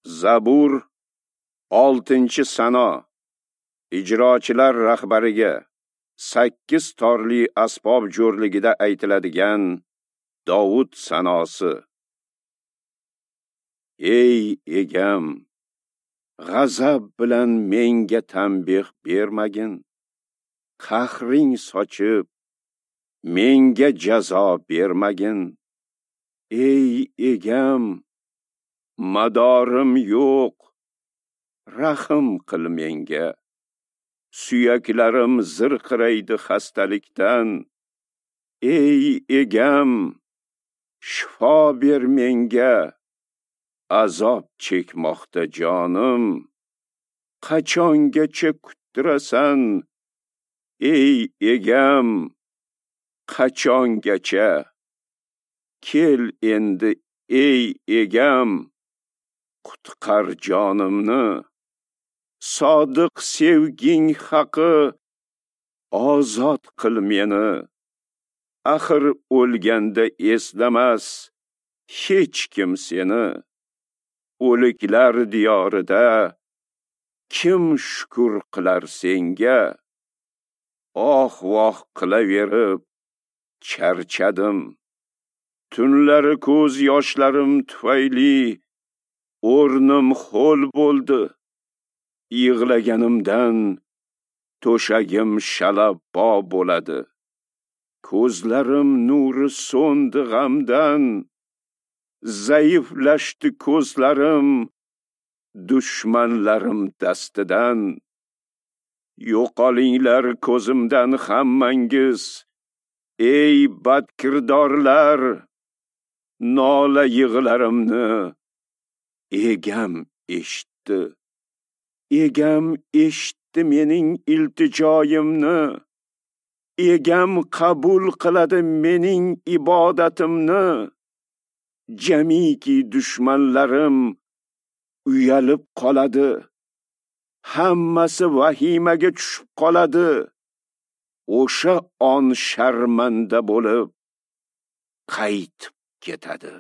Zabur 6-sano. Ijrochilar rahbariga 8 torli asbob jo'rligida aytiladigan Dovud sanosi. Ey egam, g'azab bilan menga tanbeh bermagin, qahring sochib menga jazo bermagin. Ey egam, madorim yo'q, rahm qil menga. Suyaklarim zirqiraydi xastalikdan. Ey egam, shifo ber menga. Azob chekmoqda jonim. Qachongacha kuttirasan? Ey egam, qachongacha? Kel endi, ey egam, qutqar jonimni. Sodiq sevging haqi ozod qil meni. Axir o'lganda eslamas hech kim seni. O'liklar diyorida kim shukr qilar senga? Oh-voh qilaverib charchadim. Tunlari ko'z yoshlarim tufayli o'rnim ho'l bo'ldi. Yig'laganimdan to'shagim shalabbo bo'ladi. Ko'zlarim nuri so'ndi g'amdan. Zaiflashdi ko'zlarim dushmanlarim dastidan. Yo'qolinglar ko'zimdan hammangiz, ey badkirdorlar. Nola yig'larimni egam eshitdi. Egam eshitdi mening iltijoyimni. Egam qabul qiladi mening ibodatimni. Jamiki dushmanlarim uyalib qoladi. Hammasi vahimaga tushib qoladi. O'sha on sharmanda bo'lib qaytib ketadi.